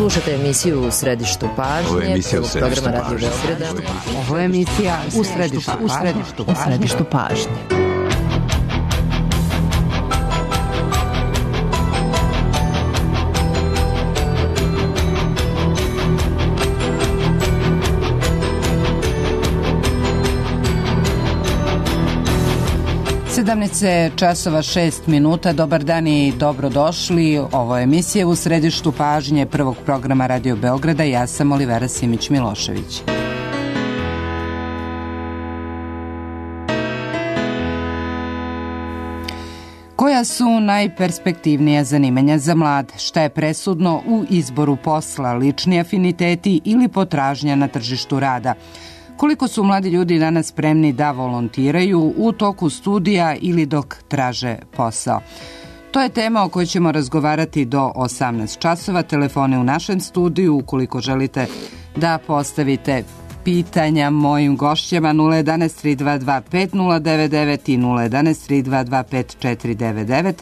Slušate emisiju U središtu pažnje, programa Radio Beograda. Ovo je emisija U središtu pažnje. Časova 6 minuta. Dobar dan i dobrodošli. Ovo je emisija U središtu pažnje prvog programa Radio Beograda. Ja sam Olivera Simić-Milošević. Koja su najperspektivnija zanimanja za mlade? Šta je presudno u izboru posla, lični afiniteti ili potražnja na tržištu rada? Koliko su mladi ljudi danas spremni da volontiraju u toku studija ili dok traže posao? To je tema o kojoj ćemo razgovarati do 18 časova. Telefone u našem studiju, ukoliko želite da postavite pitanja mojim gošćama, 011 322 5099 i 011 322 5499.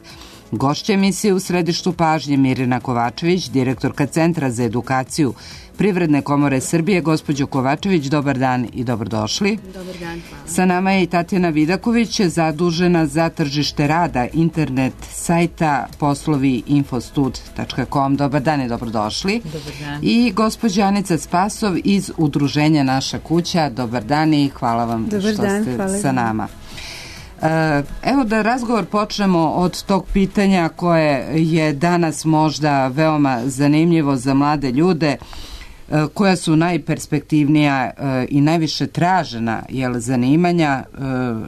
Gošća emisije U središtu pažnje Mirjana Kovačević, direktorka Centra za edukaciju Privredne komore Srbije. Gospođo Kovačević, dobar dan i dobrodošli. Dobar dan, hvala. Sa nama je i Tatjana Vidaković, zadužena za tržište rada internet sajta poslovi.infostud.com. Dobar dan i dobrodošli. Dobar dan. I gospođa Anica Spasov iz udruženja Naša kuća. Dobar dan i hvala vam što ste sa nama. Evo da razgovor počnemo od tog pitanja koje je danas možda veoma zanimljivo za mlade ljude, koja su najperspektivnija i najviše tražena zanimanja,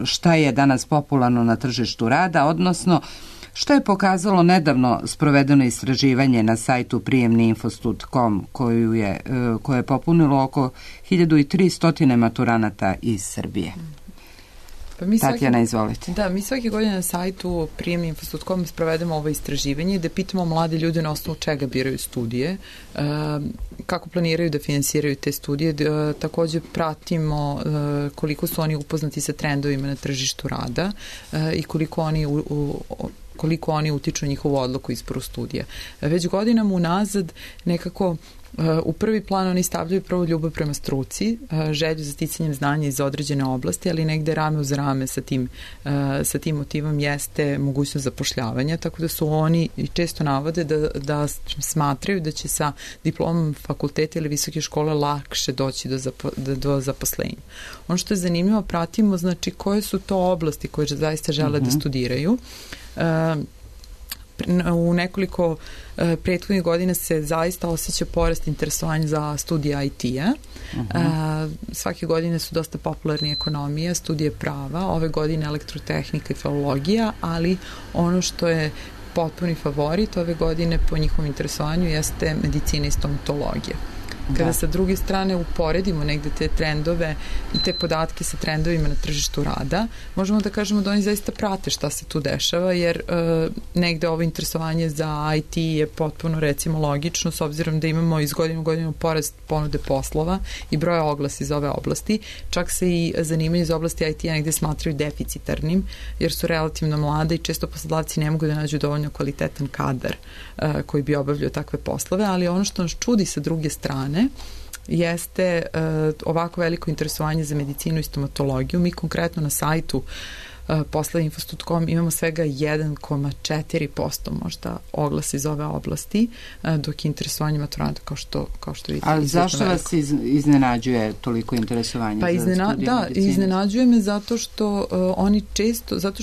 šta je danas popularno na tržištu rada, odnosno što je pokazalo nedavno sprovedeno istraživanje na sajtu prijemniinfostud.com koje je popunilo oko 1300 maturanata iz Srbije. Tatjana, izvolite. Da, mi svake godine na sajtu prijemniinfostud.com sprovedemo ovo istraživanje gde pitamo mlade ljude na osnovu čega biraju studije, kako planiraju da finansiraju te studije, takođe pratimo koliko su oni upoznati sa trendovima na tržištu rada i koliko oni utiču na njihovu odluku izboru studija. Već godinama unazad nekako u prvi plan oni stavljaju prvo ljubav prema struci, želju za sticanjem znanja iz određene oblasti, ali negde rame uz rame sa tim motivom jeste mogućnost zapošljavanja, tako da su oni često navode da smatraju da će sa diplomom fakulteta ili visoke škole lakše doći do zaposlenja. Ono što je zanimljivo, pratimo znači koje su to oblasti koje zaista žele da studiraju. U nekoliko prethodnih godina se zaista osjeća porast interesovanja za studije IT-a. Svake godine su dosta popularni ekonomija, studije prava, ove godine elektrotehnika i filologija, ali ono što je potpuni favorit ove godine po njihovom interesovanju jeste medicina i stomatologija. Kada sa druge strane uporedimo negde te trendove i te podatke sa trendovima na tržištu rada, možemo da kažemo da oni zaista prate šta se tu dešava, jer negde ovo interesovanje za IT je potpuno recimo logično, s obzirom da imamo iz godine u godinu porast ponude poslova i broja oglasa iz ove oblasti. Čak se i zanimanje iz oblasti IT-a negde smatraju deficitarnim, jer su relativno mlade i često poslodavci ne mogu da nađu dovoljno kvalitetan kadar koji bi obavljao takve poslove, ali ono što nas čudi sa druge strane jeste ovako veliko interesovanje za medicinu i stomatologiju. Mi konkretno na sajtu poslovi.infostud.com imamo svega 1,4% možda oglasa iz ove oblasti, dok je interesovanje maturanta kao što vidite. Ali zašto vas iznenađuje toliko interesovanje za studije medicine? Iznenađuje me zato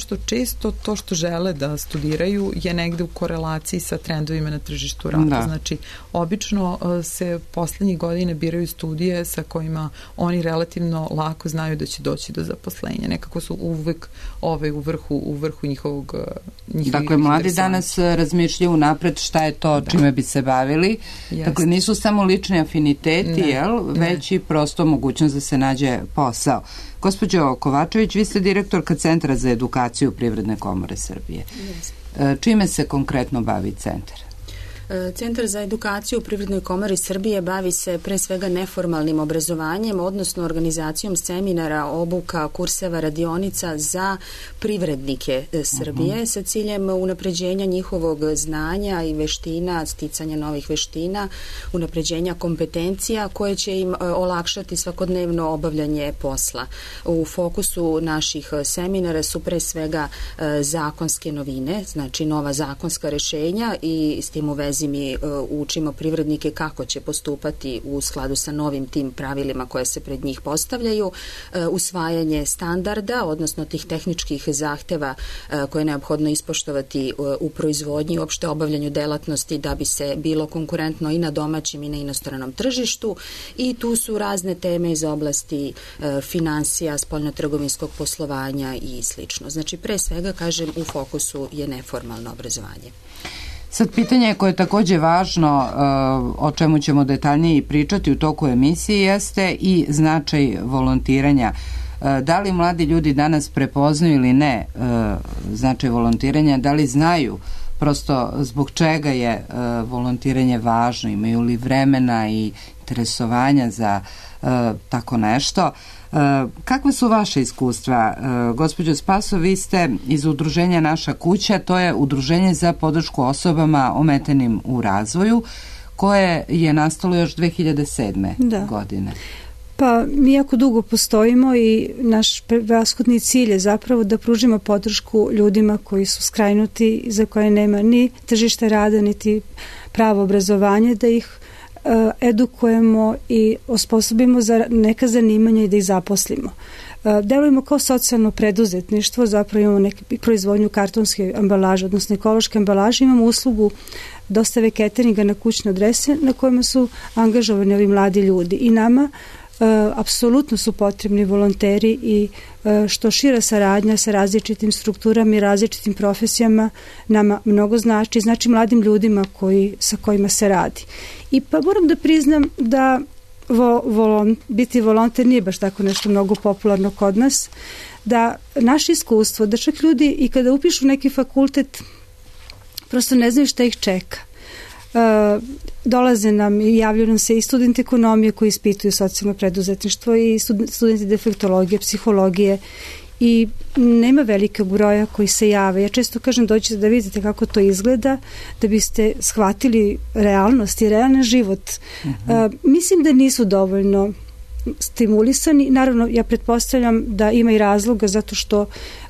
što često to što žele da studiraju je negde u korelaciji sa trendovima na tržištu rada. Znači, obično se poslednjih godine biraju studije sa kojima oni relativno lako znaju da će doći do zaposlenja. Nekako su uvek u vrhu njihovog Dakle, mladi danas razmišljaju napred šta je to čime bi se bavili. Dakle, nisu samo lični afiniteti, već i prosto mogućnost da se nađe posao. Gospođo Kovačević, vi ste direktorka Centra za edukaciju Privredne komore Srbije. Čime se konkretno bavi centar? Centar za edukaciju u Privrednoj komori Srbije bavi se pre svega neformalnim obrazovanjem, odnosno organizacijom seminara, obuka, kurseva, radionica za privrednike Srbije sa ciljem unapređenja njihovog znanja i veština, sticanja novih veština, unapređenja kompetencija koje će im olakšati svakodnevno obavljanje posla. U fokusu naših seminara su pre svega zakonske novine, znači nova zakonska rešenja i s tim u vezi mi učimo privrednike kako će postupati u skladu sa novim tim pravilima koje se pred njih postavljaju, usvajanje standarda, odnosno tih tehničkih zahteva koje je neophodno ispoštovati u proizvodnji i uopšte obavljanju delatnosti da bi se bilo konkurentno i na domaćem i na inostranom tržištu, i tu su razne teme iz oblasti finansija, spoljnotrgovinskog poslovanja i slično. Znači, pre svega, kažem, u fokusu je neformalno obrazovanje. Sad, pitanje koje je takođe važno, o čemu ćemo detaljnije pričati u toku emisije, jeste i značaj volontiranja. Da li mladi ljudi danas prepoznaju ili ne značaj volontiranja, da li znaju prosto zbog čega je volontiranje važno, imaju li vremena i interesovanja za tako nešto. Kakve su vaše iskustva? Gospođo Spaso, vi ste iz udruženja Naša kuća, to je udruženje za podršku osobama ometenim u razvoju, koje je nastalo još 2007. godine. Pa mi jako dugo postojimo i naš prevashodni cilj je zapravo da pružimo podršku ljudima koji su skrajnuti, za koje nema ni tržište rada, niti pravo obrazovanje, da ih edukujemo i osposobimo za neka zanimanja i da ih zaposlimo. Delujemo kao socijalno preduzetništvo, zapravo imamo proizvodnju kartonske ambalaže, odnosno ekološke ambalaže, imamo uslugu dostave cateringa na kućne adrese na kojima su angažovani ovi mladi ljudi i nama apsolutno su potrebni volonteri i što šira saradnja sa različitim strukturama i različitim profesijama nama mnogo znači mladim ljudima sa kojima se radi. I pa moram da priznam da biti volonter nije baš tako nešto mnogo popularno kod nas, da naše iskustvo, da čak ljudi i kada upišu neki fakultet prosto ne znaju šta ih čeka. Dolaze nam i javljaju nam se i studenti ekonomije koji ispituju socijalno preduzetništvo i studenti defektologije, psihologije i nema velikog broja koji se jave. Ja često kažem dođite da vidite kako to izgleda, da biste shvatili realnost i realan život. Mislim da nisu dovoljno stimulisani. Naravno, ja pretpostavljam da ima i razloga zato što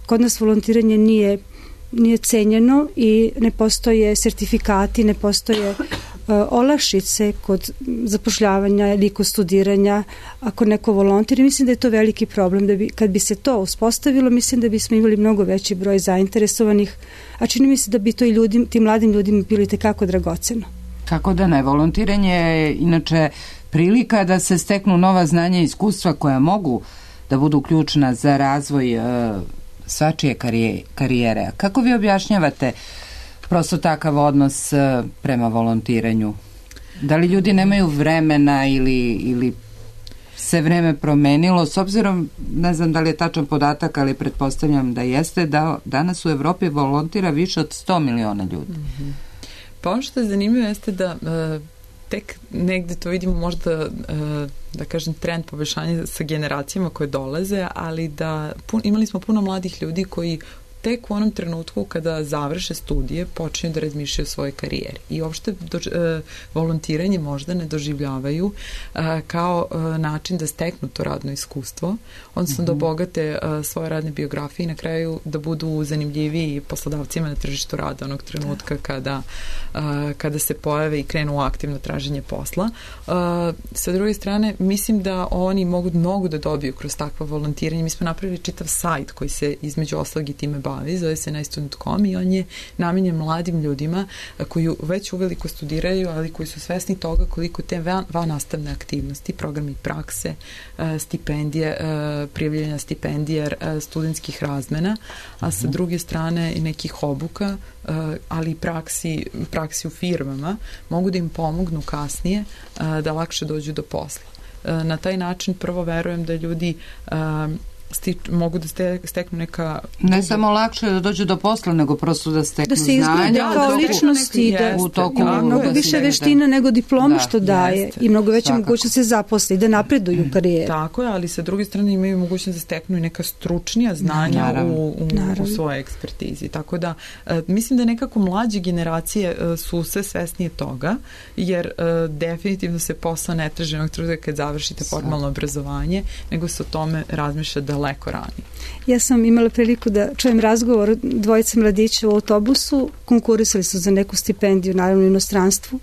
kod nas volontiranje nije cenjeno i ne postoje sertifikati, ne postoje olakšice kod zapošljavanja ili kod studiranja ako neko volontira. Mislim da je to veliki problem. Kad bi se to uspostavilo, mislim da bismo imali mnogo veći broj zainteresovanih, a čini mi se da bi to i tim mladim ljudima bilo tekako dragoceno. Kako da ne, volontiranje je inače prilika da se steknu nova znanja i iskustva koja mogu da budu ključna za razvoj svačije karijere. Kako vi objašnjavate prosto takav odnos prema volontiranju? Da li ljudi nemaju vremena ili se vreme promenilo? S obzirom, ne znam da li je tačan podatak, ali pretpostavljam da jeste, da danas u Evropi volontira više od 100 miliona ljudi. Pa ono što je zanimljivo jeste da tek negde to vidimo možda da kažem trend poboljšanja sa generacijama koje dolaze, ali da imali smo puno mladih ljudi koji tek u onom trenutku kada završe studije počinju da razmišljaju o svojoj karijeri i uopšte volontiranje možda ne doživljavaju kao način da steknu to radno iskustvo, odnosno da obogate svoje radne biografije i na kraju da budu zanimljiviji poslodavcima na tržištu rada onog trenutka kada se pojave i krenu u aktivno traženje posla. Sa druge strane, mislim da oni mogu mnogo da dobiju kroz takvo volontiranje. Mi smo napravili čitav sajt koji se između ostalog i time bavi, zove se najstudent.com i on je namenjen mladim ljudima koji već uveliko studiraju, ali koji su svesni toga koliko te vannastavne aktivnosti, programi prakse, stipendije, prijavljanja stipendija, studentskih razmena, a sa druge strane i nekih obuka, ali i praksi u firmama mogu da im pomognu kasnije da lakše dođu do posla. Na taj način prvo verujem da ljudi mogu da steknu neka... Ne samo lakše da dođu do posla, nego prosto da steknu znanja. Da se kao ličnosti, mnogo više veština nego diploma što daje i mnogo veće mogućnost se zaposli, da napreduju u karijeri. Tako je, ali sa druge strane imaju mogućnost da steknu i neka stručnija znanja u svojoj ekspertizi. Tako da, mislim da nekako mlađe generacije su sve svesnije toga, jer definitivno se posao ne traži onog truda kad završite formalno obrazovanje, nego se o tome razmišlja daleko ranije. Ja sam imala priliku da čujem razgovor dvojice mladića u autobusu, konkurisali su za neku stipendiju, naravno u inostranstvu,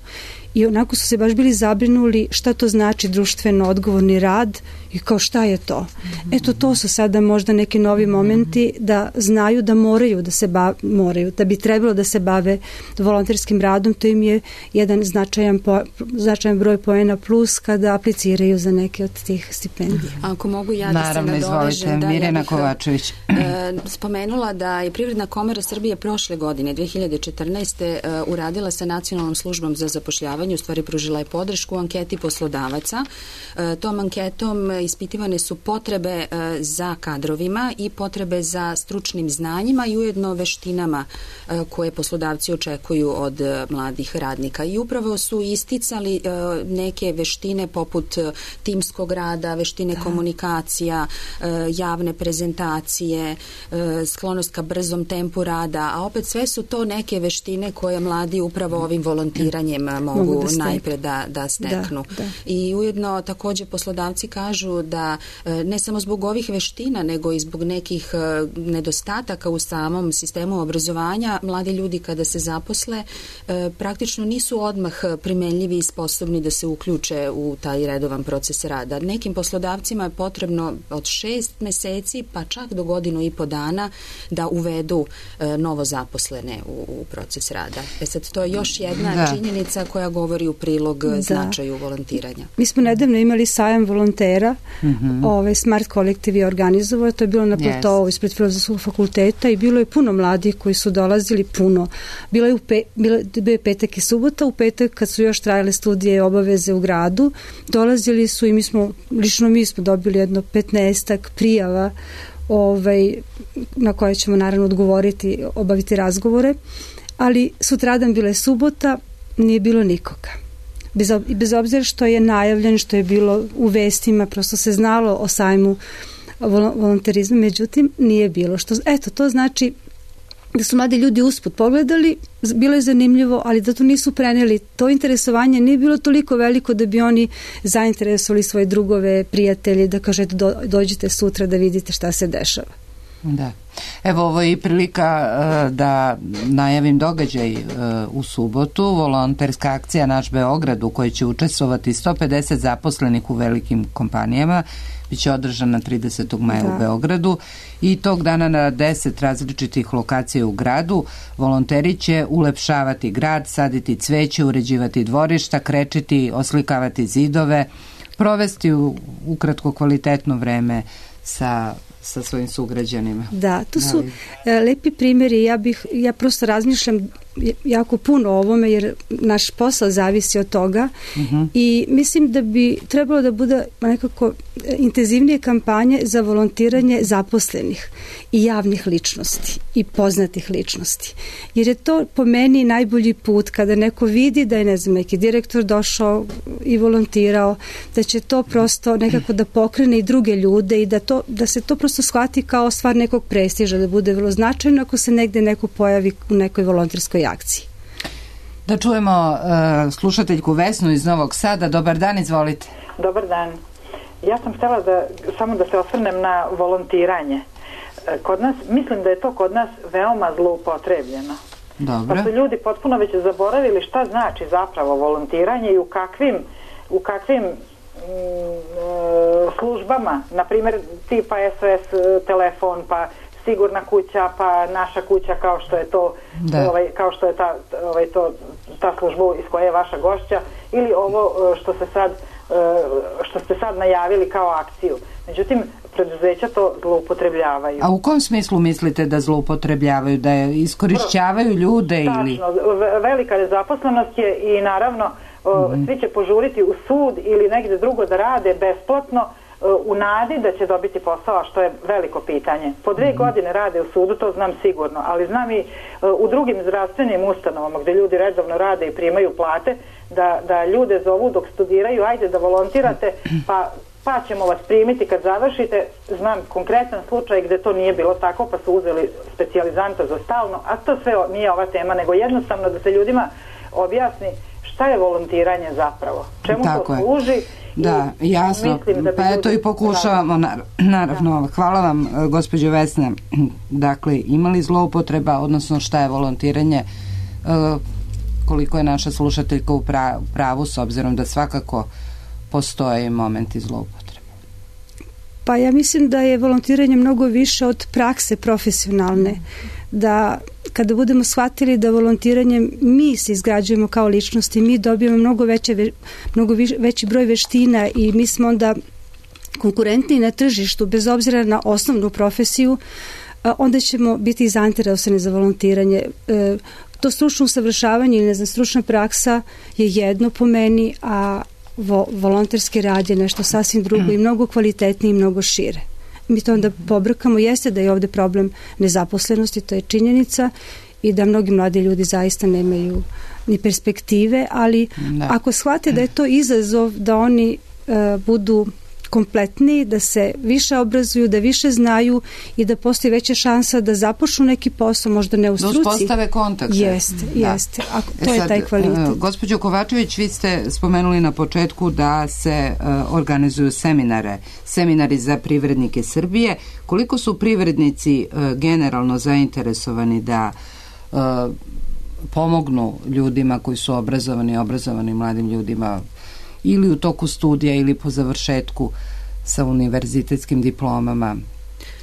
i onako su se baš bili zabrinuli šta to znači društveno odgovorni rad i kao šta je to. Eto, to su sada možda neki novi momenti da znaju da moraju da se da bi trebalo da se bave volonterskim radom, to im je jedan značajan broj poena plus kada apliciraju za neke od tih stipendija. Ako mogu ja da se nadovežem, da Mirjana Kovačević. Spomenula da je Privredna komora Srbije prošle godine, 2014. uradila sa Nacionalnom službom za zapošljavanje, u stvari pružila je podršku u anketi poslodavaca. Tom anketom ispitivane su potrebe za kadrovima i potrebe za stručnim znanjima i ujedno veštinama koje poslodavci očekuju od mladih radnika. I upravo su isticali neke veštine poput timskog rada, veštine komunikacija, javne prezentacije, sklonost ka brzom tempu rada, a opet sve su to neke veštine koje mladi upravo ovim volontiranjem mogu najpre da steknu. I ujedno također poslodavci kažu da ne samo zbog ovih veština, nego i zbog nekih nedostataka u samom sistemu obrazovanja, mladi ljudi kada se zaposle praktično nisu odmah primenljivi i sposobni da se uključe u taj redovan proces rada. Nekim poslodavcima je potrebno od 6 meseci pa čak do 1,5 dana da uvedu novo zaposlene u proces rada. Sad, to je još jedna činjenica koja govori u prilog značaju volontiranja. Mi smo nedavno imali sajam volontera, Smart kolektiv je organizovao, to je bilo na platovu ispred Filozofskog fakulteta i bilo je puno mladih koji su dolazili puno. Bio je petak i subota, u petak kad su još trajale studije i obaveze u gradu, dolazili su i mi smo dobili jedno 15 prijava na koje ćemo naravno odgovoriti, obaviti razgovore, ali sutradan bila je subota, nije bilo nikoga. Bez obzira što je najavljen, što je bilo u vestima, prosto se znalo o sajmu volonterizma, međutim nije bilo. To znači da su mladi ljudi usput pogledali, bilo je zanimljivo, ali da to nisu preneli. To interesovanje nije bilo toliko veliko da bi oni zainteresovali svoje drugove, prijatelje, da kažete dođite sutra da vidite šta se dešava. Da. Evo, ovo je i prilika da najavim događaj u subotu, volonterska akcija Naš Beograd u kojoj će učestvovati 150 zaposlenih u velikim kompanijama, biće održana 30. maja u Beogradu i tog dana na 10 različitih lokacija u gradu volonteri će ulepšavati grad, saditi cveće, uređivati dvorišta, krečiti, oslikavati zidove, provesti ukratko kvalitetno vreme sa svojim sugrađanima. Da, to su lepi primjeri. Ja prosto razmišljam jako puno o ovome jer naš posao zavisi od toga i mislim da bi trebalo da bude nekako intenzivnije kampanje za volontiranje zaposlenih i javnih ličnosti i poznatih ličnosti. Jer je to po meni najbolji put kada neko vidi da je neki direktor došao i volontirao, da će to prosto nekako da pokrene i druge ljude i da se to prosto shvati kao stvar nekog prestiža, da bude vrlo značajno ako se negde neko pojavi u nekoj volonterskoj akciji. Da čujemo slušateljku Vesnu iz Novog Sada. Dobar dan, izvolite. Dobar dan. Ja sam htjela samo da se osvrnem na volontiranje. Kod nas, mislim da je to kod nas veoma zloupotrebljeno. Dobro. Pa su ljudi potpuno već zaboravili šta znači zapravo volontiranje i u kakvim službama, na primjer tipa SOS telefon, pa Sigurna kuća, pa Naša kuća, kao što je to kao što je ta služba iz koje je vaša gošća, ili ovo što ste sad najavili kao akciju. Međutim, preduzeća to zloupotrebljavaju. A u kom smislu mislite da zloupotrebljavaju? Da je iskorišćavaju ljude ili? Tačno, velika nezaposlenost je i naravno svi će požuriti u sud ili negdje drugo da rade besplatno u nadi da će dobiti posao, a što je veliko pitanje. Po 2 godine rade u sudu, to znam sigurno, ali znam i u drugim zdravstvenim ustanovama gde ljudi redovno rade i primaju plate, da ljude zovu dok studiraju, ajde da volontirate, pa ćemo vas primiti kad završite. Znam konkretan slučaj gde to nije bilo tako, pa su uzeli specijalizanta za stalno, a to sve nije ova tema, nego jednostavno da se ljudima objasni šta je volontiranje zapravo, čemu to služi. Da, jasno, pa eto i pokušavamo, naravno. Hvala vam, gospođo Vesna. Dakle, ima li zloupotreba, odnosno šta je volontiranje, koliko je naša slušateljka u pravu, s obzirom da svakako postoje momenti zloupotrebe? Pa ja mislim da je volontiranje mnogo više od prakse profesionalne, da kada budemo shvatili da volontiranjem mi se izgrađujemo kao ličnosti, mi dobijemo mnogo veći broj veština i mi smo onda konkurentni na tržištu, bez obzira na osnovnu profesiju, onda ćemo biti zainteresovani za volontiranje. To stručno usavršavanje ili stručna praksa je jedno po meni, a volonterski rad je nešto sasvim drugo i mnogo kvalitetnije i mnogo šire. Mi to onda pobrkamo, jeste da je ovde problem nezaposlenosti, to je činjenica, i da mnogi mladi ljudi zaista nemaju ni perspektive, ali ako shvate da je to izazov da oni budu kompletni, da se više obrazuju, da više znaju i da postoji veća šansa da započnu neki posao, možda ne u struci. Da uspostave kontakt. Jeste. To je taj kvalitet. Gospođo Kovačević, vi ste spomenuli na početku da se organizuju seminari za privrednike Srbije. Koliko su privrednici generalno zainteresovani da pomognu ljudima koji su obrazovani mladim ljudima ili u toku studija ili po završetku sa univerzitetskim diplomama?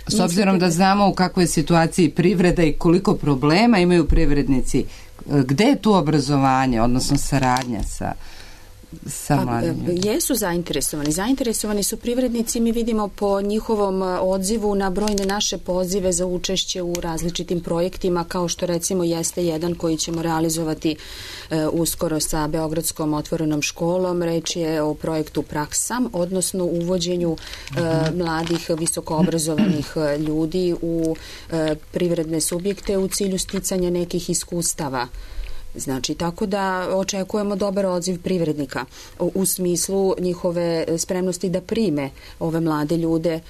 S obzirom da znamo u kakvoj je situaciji privreda i koliko problema imaju privrednici, gde je tu obrazovanje, odnosno saradnja sa mladim ljudima? Jesu zainteresovani su privrednici, mi vidimo po njihovom odzivu na brojne naše pozive za učešće u različitim projektima, kao što recimo jeste jedan koji ćemo realizovati uskoro sa Beogradskom otvorenom školom. Reč je o projektu Praksam, odnosno uvođenju mladih visokoobrazovanih ljudi u privredne subjekte u cilju sticanja nekih iskustava. Znači, tako da očekujemo dobar odziv privrednika u smislu njihove spremnosti da prime ove mlade ljude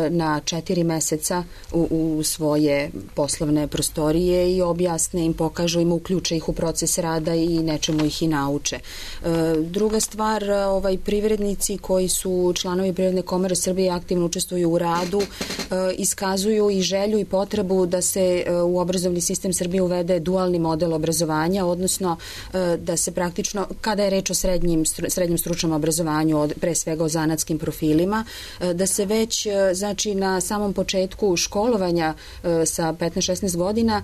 na 4 meseca u svoje poslovne prostorije i objasne im, pokažu im, uključe ih u proces rada i nečemu ih i nauče. Druga stvar, privrednici koji su članovi Privredne komore Srbije aktivno učestvuju u radu, iskazuju i želju i potrebu da se u obrazovni sistem Srbije uvede dualni model obrazovanja, odnosno da se praktično, kada je reč o srednjem stručnom obrazovanju, pre svega o zanatskim profilima, da se već, znači, na samom početku školovanja sa 15-16 godina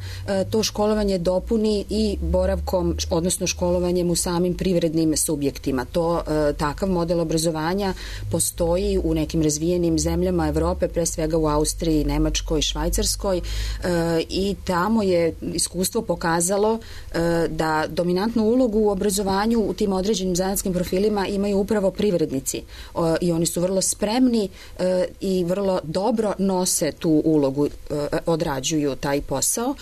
to školovanje dopuni i boravkom, odnosno školovanjem u samim privrednim subjektima. Takav model obrazovanja postoji u nekim razvijenim zemljama Evrope, pre svega u Austriji, Nemačkoj, Švajcarskoj, i tamo je iskustvo pokazalo da dominantnu ulogu u obrazovanju u tim određenim zanatskim profilima imaju upravo privrednici i oni su vrlo spremni i vrlo dobro nose tu ulogu, odrađuju taj posao.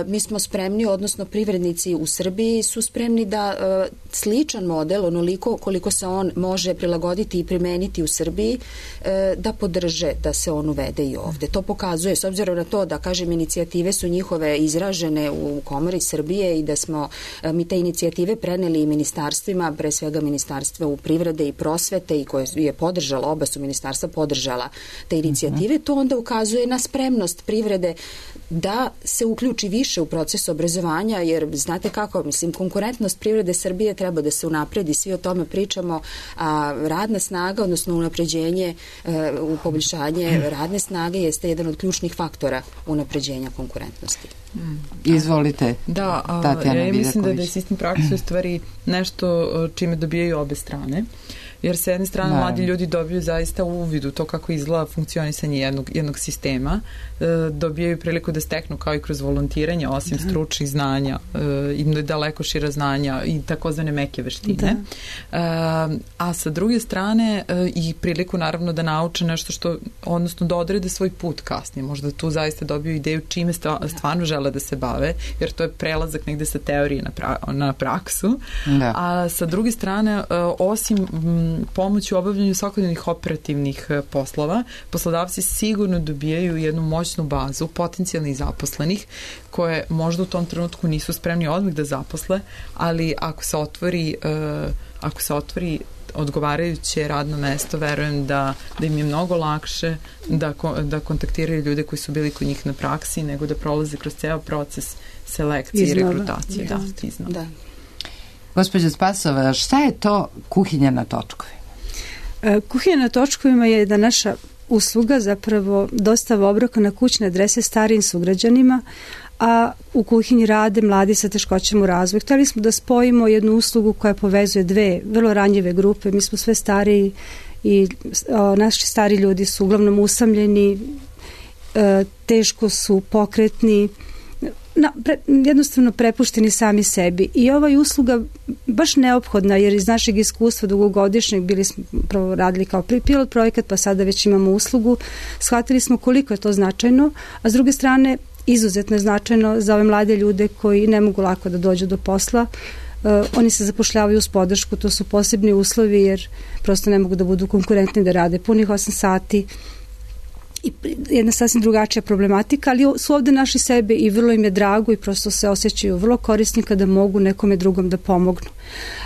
Mi smo spremni, odnosno privrednici u Srbiji su spremni da sličan model, onoliko koliko se on može prilagoditi i primeniti u Srbiji, da podrže da se on uvede i ovde. To pokazuje, s obzirom na to da, kažem, inicijative su njihove izražene u Komori Srbije i da smo mi te inicijative preneli i ministarstvima, pre svega ministarstva u privrede i prosvete, i koje je podržala, oba su ministarstva podržala te inicijative, to onda ukazuje na spremnost privrede da se uključi više u proces obrazovanja, jer znate kako, mislim, konkurentnost privrede Srbije treba da se unapredi, svi o tome pričamo, a radna snaga, odnosno unapređenje, u poboljšanje radne snage jeste jedan od ključnih faktora unapređenja konkurentnosti. Izvolite. Da, ja mislim da je sistem prakse u stvari nešto čime dobijaju obe strane. jer sa jedne strane mladi ljudi dobiju zaista uvid u to kako izgleda funkcionisanje jednog sistema, dobijaju priliku da steknu kao i kroz volontiranje, osim stručnih znanja, im daleko šira znanja i takozvane meke veštine. A sa druge strane i priliku naravno da nauče nešto odnosno da odrede svoj put kasnije. Možda tu zaista dobiju ideju čime stvarno žele da se bave, jer to je prelazak negde sa teorije na praksu. A sa druge strane, osim pomoći u obavljanju svakodnevnih operativnih poslova, poslodavci sigurno dobijaju jednu moćnu bazu potencijalnih zaposlenih koje možda u tom trenutku nisu spremni odmah da zaposle, ali ako se otvori odgovarajuće radno mesto, verujem da im je mnogo lakše da kontaktiraju ljude koji su bili kod njih na praksi, nego da prolaze kroz ceo proces selekcije i rekrutacije. Da. Gospođa Spasova, šta je to kuhinja na točkovima? Kuhinja na točkovima je da naša usluga zapravo dostava obroka na kućne adrese starijim sugrađanima, a u kuhinji rade mladi sa teškoćama u razvoju. Hteli smo da spojimo jednu uslugu koja povezuje dve vrlo ranjive grupe. Mi smo sve stariji i naši stari ljudi su uglavnom usamljeni, teško su pokretni, jednostavno prepušteni sami sebi. I ova je usluga baš neophodna, jer iz našeg iskustva dugogodišnjeg bili smo prvo radili kao pilot projekat, pa sada već imamo uslugu. Shvatili smo koliko je to značajno, a s druge strane izuzetno je značajno za ove mlade ljude koji ne mogu lako da dođu do posla. Oni se zapošljavaju uz podršku, to su posebni uslovi jer prosto ne mogu da budu konkurentni da rade punih 8 sati. I jedna sasvim drugačija problematika, ali su ovde naši sebe i vrlo im je drago i prosto se osjećaju vrlo korisni kada mogu nekome drugom da pomognu.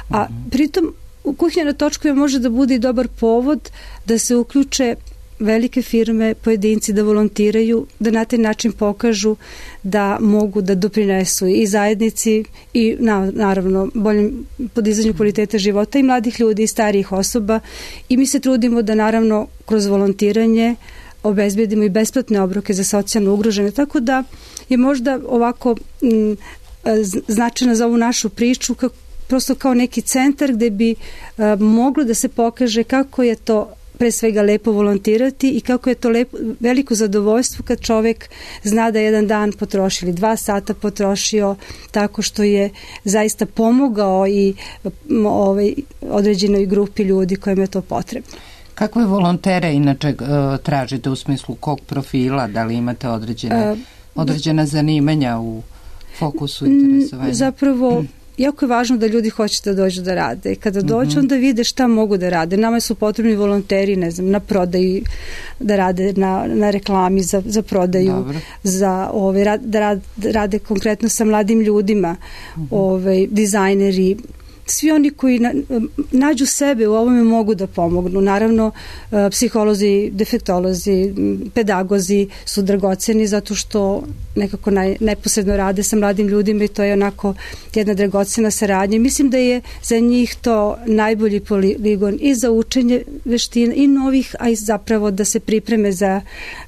A pritom kuhinja na točkovima može da bude i dobar povod da se uključe velike firme, pojedinci da volontiraju, da na taj način pokažu da mogu da doprinesu i zajednici i naravno boljem podizanju kvaliteta života i mladih ljudi i starijih osoba, i mi se trudimo da naravno kroz volontiranje obezbedimo i besplatne obroke za socijalno ugrožene, tako da je možda ovako značajno za ovu našu priču prosto kao neki centar gde bi moglo da se pokaže kako je to pre svega lepo volontirati i kako je to veliko zadovoljstvo kad čovek zna da jedan dan potroši ili 2 sata potrošio tako što je zaista pomogao i određenoj grupi ljudi kojima je to potrebno. Kakve volontere inače tražite u smislu kog profila? Da li imate određena zanimanja u fokusu interesovanja? Zapravo, jako je važno da ljudi hoće da dođu da rade. Kada dođu, onda vide šta mogu da rade. Nama su potrebni volonteri, ne znam, na prodaju, da rade na reklami za prodaju, da rade konkretno sa mladim ljudima, dizajneri. Svi oni koji nađu sebe u ovome mogu da pomognu. Naravno, psiholozi, defektolozi, pedagozi su dragoceni zato što nekako neposredno rade sa mladim ljudima i to je onako jedna dragocena saradnja. Mislim da je za njih to najbolji poligon i za učenje veština i novih, a i zapravo da se pripreme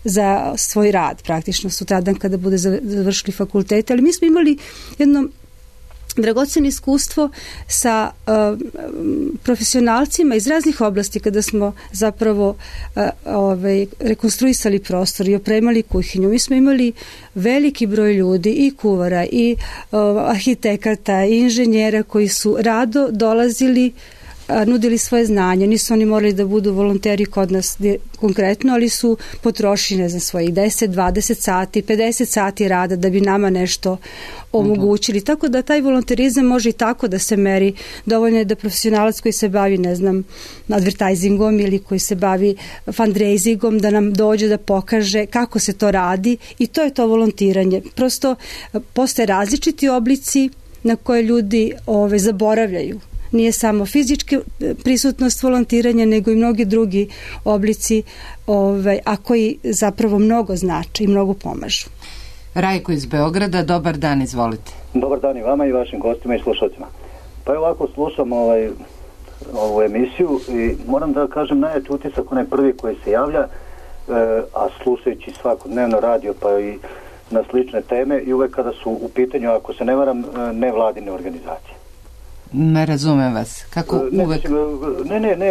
za svoj rad praktično sutradan kada bude završili fakultete. Ali mi smo imali jedno dragoceno iskustvo sa profesionalcima iz raznih oblasti kada smo zapravo rekonstruisali prostor i opremali kuhinju. Mi smo imali veliki broj ljudi i kuvara i arhitekata i inženjera koji su rado dolazili, nudili svoje znanje. Nisu oni morali da budu volonteri kod nas konkretno, ali su potrošili, ne znam, svojih 10, 20 sati, 50 sati rada da bi nama nešto omogućili. Tako da taj volonterizam može i tako da se meri. Dovoljno je da profesionalac koji se bavi, ne znam, advertisingom ili koji se bavi fundraisingom da nam dođe da pokaže kako se to radi i to je to volontiranje. Prosto postoje različiti oblici na koje ljudi zaboravljaju. Nije samo fizička prisutnost volontiranja, nego i mnogi drugi oblici, a koji zapravo mnogo znači i mnogo pomažu. Rajko iz Beograda, dobar dan, izvolite. Dobar dan i vama i vašim gostima i slušalcima. Pa ovako slušam ovu emisiju i moram da kažem najjači utisak onaj prvi koji se javlja, a slušajući svakodnevno radio pa i na slične teme i uvek kada su u pitanju, ako se ne varam, nevladine organizacije. Ne razumem vas. Kako uvek?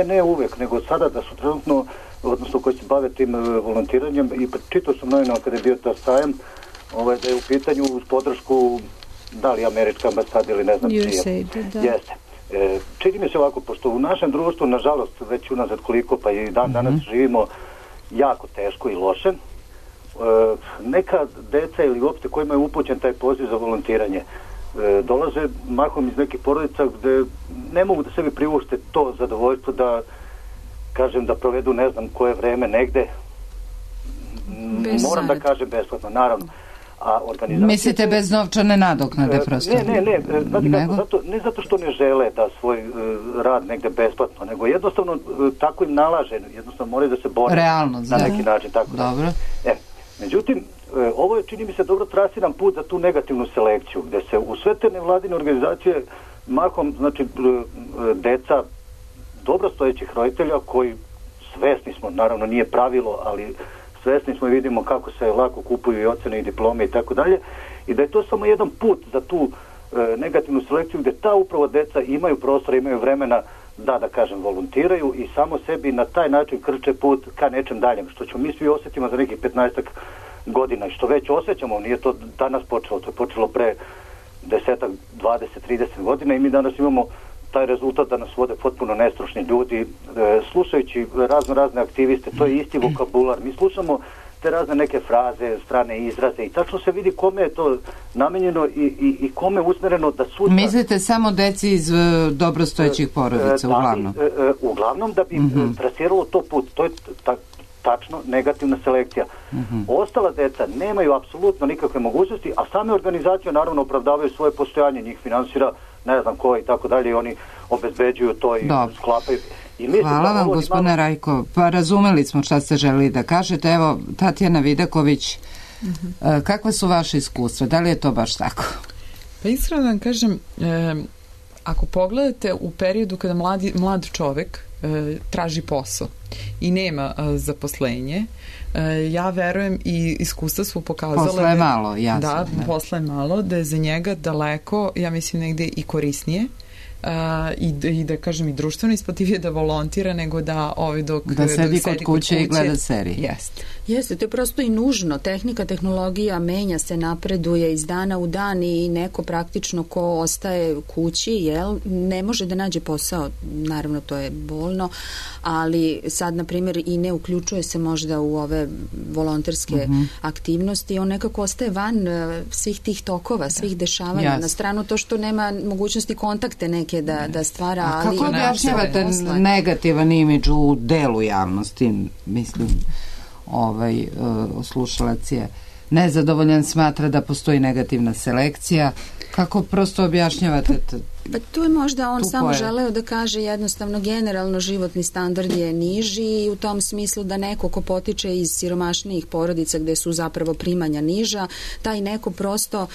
Ne uvek, nego sada da su trenutno, odnosno koji se bave tim volontiranjem, i čitao sam novinama kada je bio ta sajam, da je u pitanju uz podršku, da li američka ambasada ili ne znam čija. Jeste. Čini mi se ovako, pošto u našem društvu, nažalost, već unazad koliko, pa i danas živimo jako teško i loše, neka deca ili uopšte kojima je upućen taj poziv za volontiranje dolaze mahom iz nekih porodica gde ne mogu da sebi priušte to zadovoljstvo da, kažem, da provedu ne znam koje vreme negde, moram da kažem besplatno, naravno. Mislite bez novčane nadoknade prosto? Ne zato što ne žele da svoj rad negde besplatno, nego jednostavno tako im nalaže, jednostavno moraju da se bore na neki način. Dobro. Međutim, ovo je, čini mi se, dobro trasiran put za tu negativnu selekciju, gde se u sve te nevladine organizacije mahom, znači, deca dobro stojećih roditelja koji, svesni smo, naravno nije pravilo, ali svesni smo i vidimo kako se lako kupuju i ocene i diplome i tako dalje, i da je to samo jedan put za tu negativnu selekciju gde ta upravo deca imaju prostora, imaju vremena da kažem, volontiraju i samo sebi na taj način krče put ka nečem daljem, što ćemo mi svi osjetimo za nekih 15 godina i što već osjećamo, nije to danas počelo, to je počelo pre 10, 20, 30 godina i mi danas imamo taj rezultat da nas vode potpuno nestručni ljudi, slušajući razne aktiviste, to je isti vokabular, mi slušamo te razne neke fraze, strane izraze i tačno se vidi kome je to namenjeno i kome je usmereno da sutra... Mislite samo deci iz dobrostojećih porodica, uglavnom? Uglavnom da bi trasiralo to put, to je tačno negativna selekcija. Ostala deca nemaju apsolutno nikakve mogućnosti, a same organizacije naravno opravdavaju svoje postojanje, njih finansira ne znam ko i tako dalje i oni obezbeđuju to i sklapaju. Hvala vam, gospodine Rajko. Pa razumeli smo šta ste želeli da kažete. Evo, Tatjana Vidaković, kakva su vaše iskustva? Da li je to baš tako? Pa iskreno vam kažem, ako pogledate u periodu kada mlad čovek traži posao i nema zaposlenje, ja verujem i iskustva su pokazala posle je malo, jasno. Da, posle je malo, da je za njega daleko, ja mislim negde i korisnije i da kažem i društveno isplativije da volontira nego da da sedi kod kuće i gleda serije. Jeste, to je prosto i nužno. Tehnologija menja se, napreduje iz dana u dan i neko praktično ko ostaje u kući, ne može da nađe posao. Naravno, to je bolno, ali sad, na primjer, i ne uključuje se možda u ove volonterske aktivnosti. On nekako ostaje van svih tih tokova, svih dešavanja. Na stranu to što nema mogućnosti kontakte neke da stvara. A kako objašnjavate negativan imidž u delu javnosti, mislim, slušalac je nezadovoljan, smatra da postoji negativna selekcija. Kako prosto objašnjavate? Pa tu je možda on samo želeo da kaže jednostavno generalno životni standard je niži i u tom smislu da neko ko potiče iz siromašnijih porodica gde su zapravo primanja niža, taj neko prosto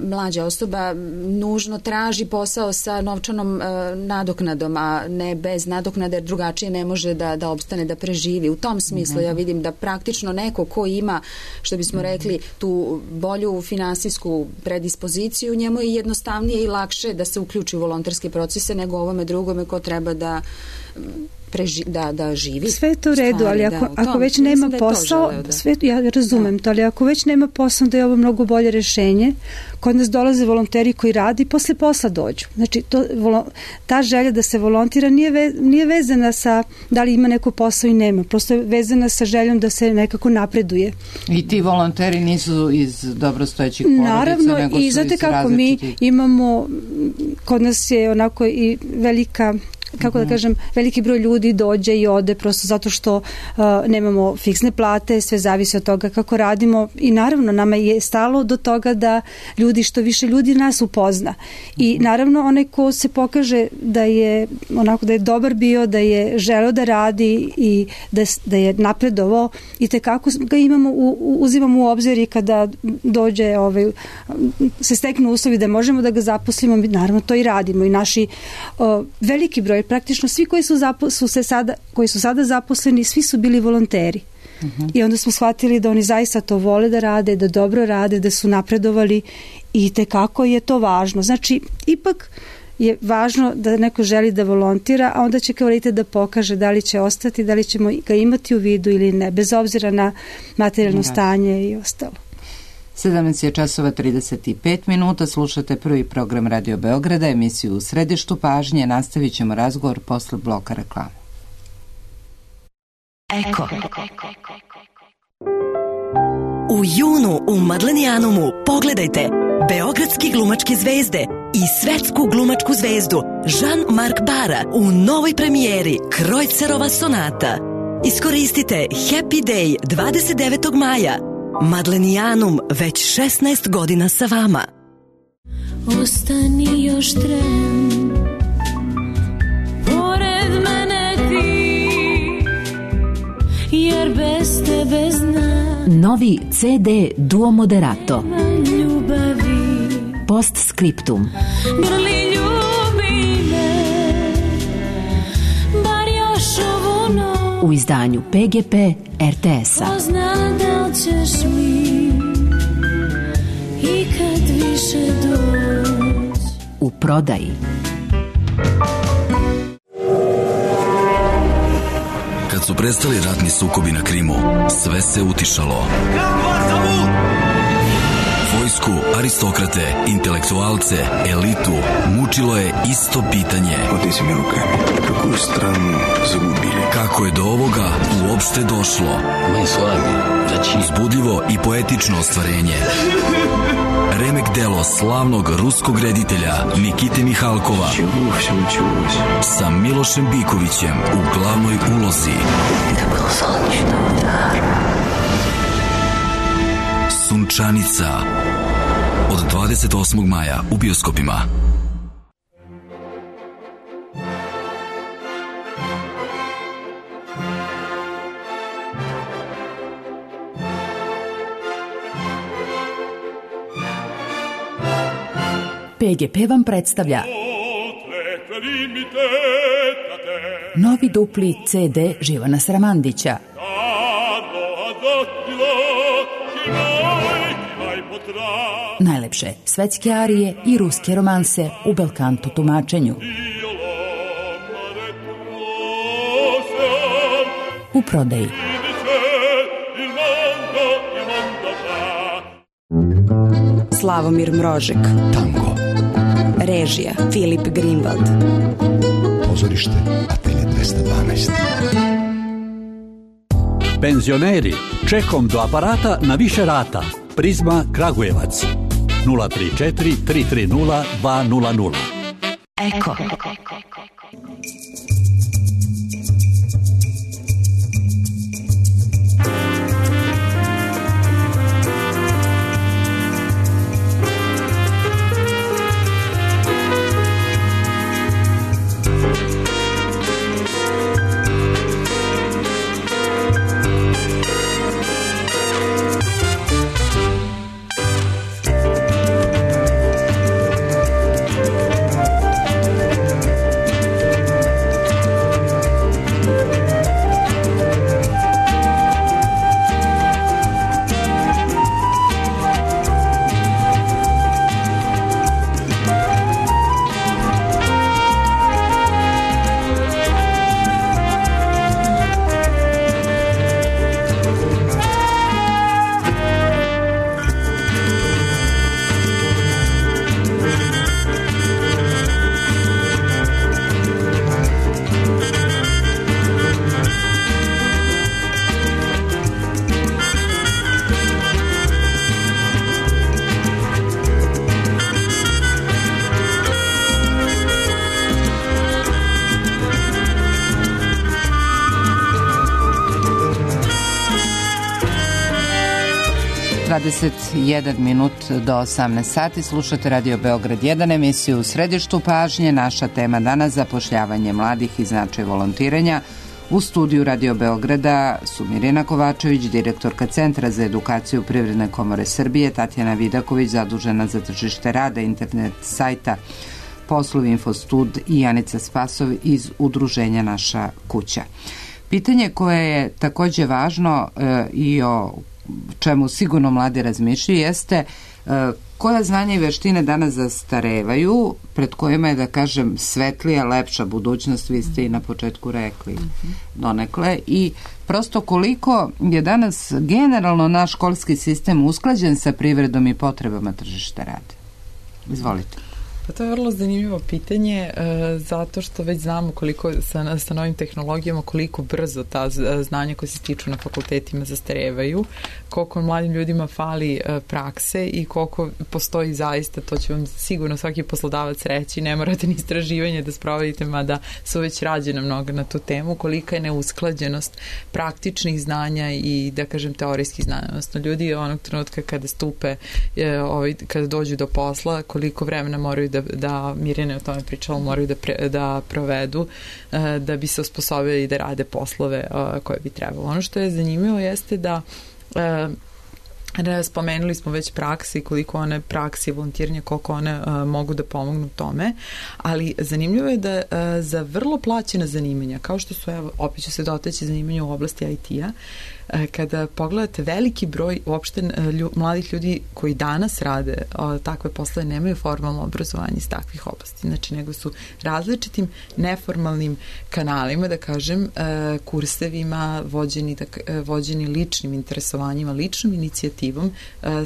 mlađa osoba nužno traži posao sa novčanom nadoknadom, a ne bez nadoknade jer drugačije ne može da opstane, da preživi. U tom smislu ja vidim da praktično neko ko ima, što bismo rekli, tu bolju finansijsku predispoziciju, njemu je jednostavnije i lakše da se uključi u volonterske procese nego ovome drugome ko treba da živi. Sve je to u redu, ali ako već nema posao, ja razumem to, ali ako već nema posao, da je ovo mnogo bolje rešenje. Kod nas dolaze volonteri koji radi i posle posla dođu. Znači, ta želja da se volontira nije vezana sa da li ima neko posao i nema. Prosto je vezana sa željom da se nekako napreduje. I ti volonteri nisu iz dobrostojećih porodica, naravno, nego su iz različitih. Naravno, i znate kako mi imamo, kod nas je onako i velika, kako da kažem, veliki broj ljudi dođe i ode prosto zato što nemamo fiksne plate, sve zavisi od toga kako radimo i naravno nama je stalo do toga da što više ljudi nas upozna. I naravno onaj ko se pokaže da je dobar bio, da je želeo da radi i da je napredovao i tekako ga uzimamo u obzir i kada dođe se steknu uslovi da možemo da ga zaposlimo, naravno to i radimo i naši veliki broj, praktično svi koji su sada zaposleni, svi su bili volonteri. I onda smo shvatili da oni zaista to vole da rade, da dobro rade, da su napredovali i tekako je to važno. Znači, ipak je važno da neko želi da volontira, a onda će kvalitet da pokaže da li će ostati, da li ćemo ga imati u vidu ili ne, bez obzira na materijalno stanje i ostalo. 17:35, slušate prvi program Radio Beograda, emisiju U središtu pažnje. Nastavit ćemo razgovor posle bloka reklama. Eko. U junu u Madlenijanumu pogledajte beogradski glumačke zvezde i svetsku glumačku zvezdu Jean-Marc Bara u novoj premijeri Krojcerova sonata. Iskoristite Happy Day 29. maja. Madlenijanum već 16 godina sa vama. Ostani još tren, pored mene ti, jer bez tebe znam. Novi CD Duo Moderato. Postscriptum. Grli ljubi me, bar još ovu noć. U izdanju PGP RTS-a. Pozna da ćeš mi i kad više doć. U prodaji. Kad su prestali ratni sukobi na Krimu, sve se utišalo. Vojsku, aristokrate, intelektualce, elitu mučilo je isto pitanje. Oteci mi ruke, kakvu stranu zagubili? Kako je do ovoga uopšte došlo? Uzbudljivo i poetično ostvarenje. Remek delo slavnog ruskog reditelja Nikite Mihalkova sa Milošem Bikovićem u glavnoj ulozi. Sunčanica od 28. maja u bioskopima. PGP vam predstavlja novi dupli CD Živana Sramandića. Najlepše svetske arije i ruske romanse u belkanto tumačenju. U prodaji. Slavomir Mrožek. Tango. Režija Filip Greenwald. Pozorište Atelje 212. Penzioneri, čekom do aparata na više rata. Prizma Kragujevac 034 330 200. Eko. Minut do 18 sati. Slušate Radio Beograd 1, emisiju U središtu pažnje. Naša tema danas zapošljavanje mladih i značaj volontiranja. U studiju Radio Beograda su Mirjana Kovačević, direktorka Centra za edukaciju Privredne komore Srbije, Tatjana Vidaković, zadužena za tržište rada, internet sajta Poslovi Infostud i Janica Spasov iz udruženja Naša kuća. Pitanje koje je takođe važno i o čemu sigurno mladi razmišljaju jeste koja znanja i veštine danas zastarevaju, pred kojima je, da kažem, svetlija, lepša budućnost, vi ste i na početku rekli donekle, i prosto koliko je danas generalno naš školski sistem usklađen sa privredom i potrebama tržišta rada? Izvolite. Pa to je vrlo zanimljivo pitanje, zato što već znamo koliko sa novim tehnologijama, koliko brzo ta znanja koje se stiču na fakultetima zastarevaju, koliko mladim ljudima fali prakse i koliko postoji zaista, to će vam sigurno svaki poslodavac reći, ne morate ni istraživanje da sprovodite, mada su već rađene mnogo na tu temu, kolika je neusklađenost praktičnih znanja i, da kažem, teorijskih znanja. Odnosno, ljudi onog trenutka kada stupe, kada dođu do posla, koliko vremena moraju da Mirjana je o tome pričala, moraju da provedu da bi se osposobili da rade poslove koje bi trebalo. Ono što je zanimljivo jeste da spomenuli smo već praksi, koliko one praksi, volontiranje, koliko one mogu da pomognu tome, ali zanimljivo je da za vrlo plaćena zanimanja, kao što su, evo, opet će se dotaći zanimanja u oblasti IT-a, kada pogledate veliki broj uopšte mladih ljudi koji danas rade takve poslove nemaju formalno obrazovanje iz takvih oblasti, znači nego su različitim neformalnim kanalima, da kažem, kursevima vođeni ličnim interesovanjima, ličnom inicijativom,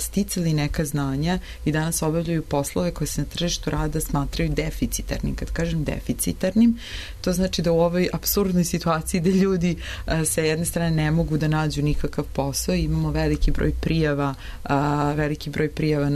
sticali neka znanja i danas obavljaju poslove koje se na tržištu rada smatraju deficitarnim. Kad kažem deficitarnim, to znači da u ovoj apsurdnoj situaciji da ljudi sa jedne strane ne mogu da nađu nikakav posao, imamo veliki broj prijava